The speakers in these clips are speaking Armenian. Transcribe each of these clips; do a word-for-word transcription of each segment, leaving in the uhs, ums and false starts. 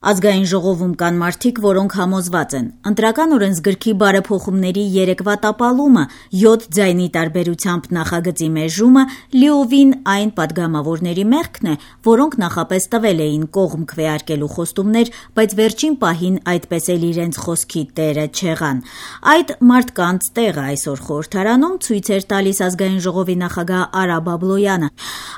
Ազգային ժողովում կան մարդիկ, որոնք համոզված են. ընտրական օրենսգրքի բարեփոխումների երեկվա տապալումը, յոթ ձայնի տարբերությամբ նախագծի մեժումը լիովին այն պատգամավորների մեղքն է, որոնք նախապես տվել էին կողմ քվեարկելու խոստումներ, բայց վերջին պահին այդպես էլ իրենց խոսքի տերը չեղան։ Այդ մարդկանց տեղը այսօր խորհրդարանում ցույց էր տալիս Ազգային ժողովի նախագահ Արա Բաբլոյանը։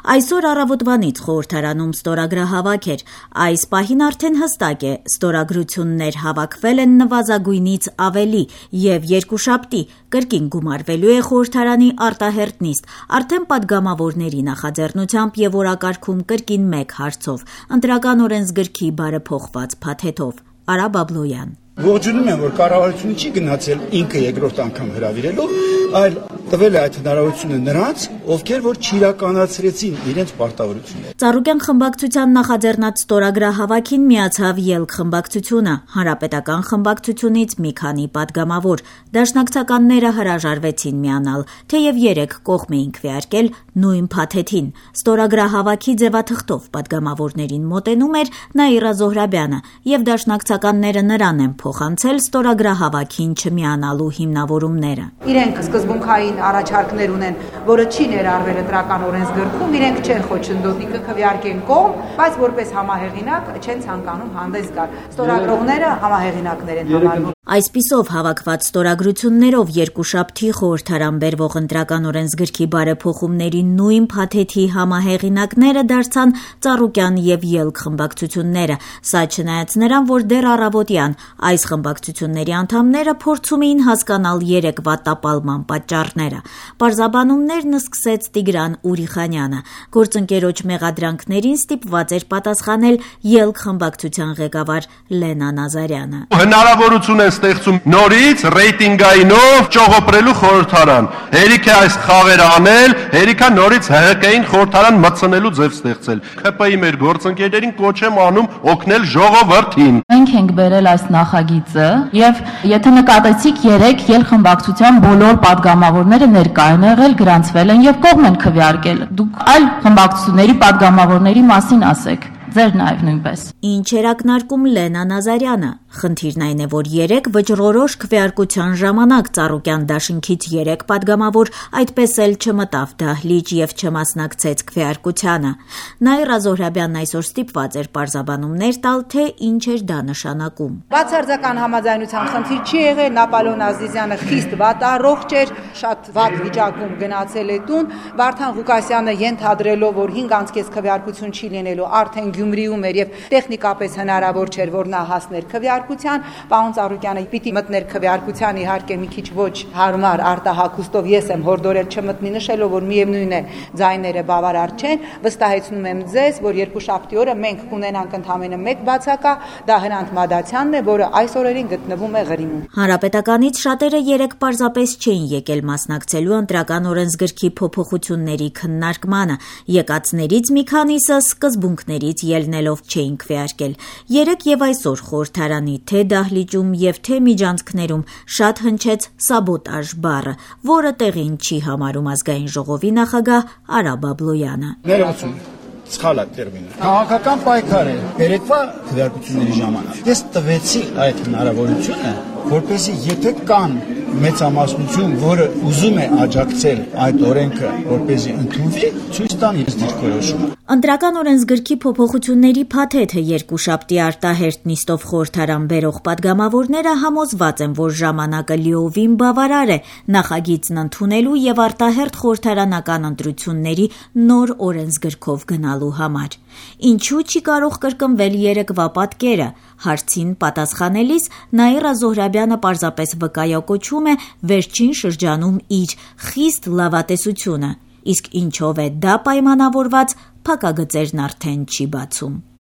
Այսօր առավոտվանից խորհրդարանում ստորագրահավաք էր։ Այս պահին արդեն հստակ է, ստորագրություններ հավաքվել են նվազագույնից ավելի եւ երկուշաբթի կրկին գումարվելու է խորհրդարանի արտահերթ նիստ, արդեն պատգամավորների նախաձեռնությամբ եւ օրակարգում կրկին մեկ հարցով՝ ընտրական օրենսգրքի բարեփոխված փաթեթով։ Արա Բաբլոյան. Ողջունում եմ, որ կառավարությունը չի գնացել ինքը երկրորդ անգամ հրավիրելու, այլ տվել է այդ հնարավորությունը նրանց, ովքեր որ չիրականացրեցին իրենց պարտավորությունները։ Ծառուկյան խմբակցության նախաձեռնած ստորագրահավաքին միացավ ԵԼՔ խմբակցությունը, հանրապետական խմբակցությունից մի քանի պատգամավոր։ Դաշնակցականները հրաժարվեցին միանալ, թեև երեք կողմ էին քվեարկել նույն փաթեթին։ Ստորագրահավաքի ձևաթղթով պատգամավորներին մոտենում էր Նաիրա Զոհրաբյանը, եւ դաշնակցականները նրան են փոխանցել ստորագրահավաքին չմիանալու հիմնավորումները։ Իրենք սկզբունքային առաջարկներ ունեն, որը չի ներառվել ընտրական օրենսգրքում, իրենք չեն խոչընդոտի կքվեարկեն կողմ, բայց որպես համահեղինակ չեն ցանկանում հանդես գալ։ Ստորագրողները համահեղինակներ են համարվում։ Այսպիսով հավաքված ստորագրություններով երկուշաբթի խորհրդարան բերվող ընտրական օրենսգրքի բարեփոխումների նույն փաթեթի համահեղինակները դարձան Ծառուկյան եւ ԵԼՔ խմբակցությունները։ Սա չնայած նրան, որ դեռ առավոտյան այս խմբակցությունների անդամները փորձում էին հասկանալ երեկվա տապալման պատճառները։ Պարզաբանումներն սկսեց Տիգրան Ուրիխանյանը։ Գործընկերոջ մեղադրանքներին ստիպված էր պատասխանել ԵԼՔ խմբակցության ղեկավար Լենա Նազարյանը։ Հնարավորություն է ստեղծում նորից ռեյտինգայինով ճողոպրելու խորհրդարան։ Հերիք է այս խաղերը անել, հերիք է նորից ՀՀԿ-ին խորհրդարան մտցնելու ձև ստեղծել։ ՔՊ-ի մեր գործընկերներին կոչ եմ անում օգնել ժողովրդին։ Մենք ենք բերել այս նախագիծը եւ եթե նկատեցիք երեք ԵԼ խմբակցության բոլոր պատգամավորները ներկա են եղել, գրանցվել են եւ կողմ են քվեարկել։ Դուք այլ խմբակցությունների պատգամավորների մասին ասեք։ Ձեր նաև նույնպես։ Ինչ էր ակնարկում Լենա Նազարյանը։ Խնդիրն այն է, որ երեք վճռորոշ քվեարկության ժամանակ Ծառուկյան դաշինքից երեք պատգամավոր այդպես էլ չմտավ դահլիճ եւ չմասնակցեց քվեարկությանը։ Նաիրա Զոհրաբյանն այսօր ստիպված էր պարզաբանումներ տալ, թե ինչ էր դա նշանակում։ Բացարձական համաձայնության խնդիր չի եղել, Նապոլեոն Ազիզյանը խիստ վատառողջ էր, շատ վատ վիճակում գնացել է տուն, Վարդան Ղուկասյանը ենթադրելով, որ հինգ անցկեց քվեարկություն չի լինելու, արդեն Գյումրիում էր եւ տեխնիկապես հնարավոր չէր, որ նա հասներ քվեարկության, պարոն Ծառուկյանը պիտի մտներ քվեարկության, իհարկե մի քիչ ոչ հարմար արտահակուստով ես եմ հորդորել չմտնի, նշելով, որ միևնույն է ձայները բավարար չեն, վստահեցնում եմ ձեզ, որ երկուշաբթի օրը մենք կունենանք ընդամենը մեկ բացակա, դա Հրանտ Մադացյանն է, որը այս օրերին գտնվում է Ղրիմում։ Հանրապետականից շատերը երեք պարզապես չէին եկել մասնակցելու ընտրական օրենսգրքի փոփոխությունների քննարկմանը, եկածներից մի քանիսը սկզբունքներից ելնելով չէին քվեարկել։ Երեք եւ այսօր խորհրդարանի թե դահլիճում եւ թե միջանցքներում շատ հնչեց սաբոտաժ բառը, որը տեղին չի համարում Ազգային ժողովի նախագահ Արա Բաբլոյանը։ Ներողություն, սխալ է տերմինը։ Քաղաքական պայքար է երեկվա քվեարկությունների ժամանակ։ Ես տվեցի այդ հնարավորությունը, որպեսզի եթե կան մեծամասնություն, որը ուզում է աջակցել այդ օրենքը, որպեսզի ընդունվի, ցույց տան իր դիրքորոշումը։ Ընտրական օրենսգրքի փոփոխությունների փաթեթը երկուշաբթի արտահերթ նիստով խորհրդարան բերող պատգամավորները համոզված են, որ ժամանակը լիովին բավարար է նախագիծն ընդունելու եւ արտահերթ խորհրդարանական ընտրությունների նոր օրենսգրքով գնալու համար։ Ինչու չի կարող կրկնվել երեկվա պատկերը։ Հարցին պատասխանելիս Նաիրա Զոհրաբյանը պարզապես վկայակոչում է վերջին շրջանում իր խիստ լավատեսությունը, իսկ ինչով է դա պայմանավորված, փակագծերն արդեն չի բացում։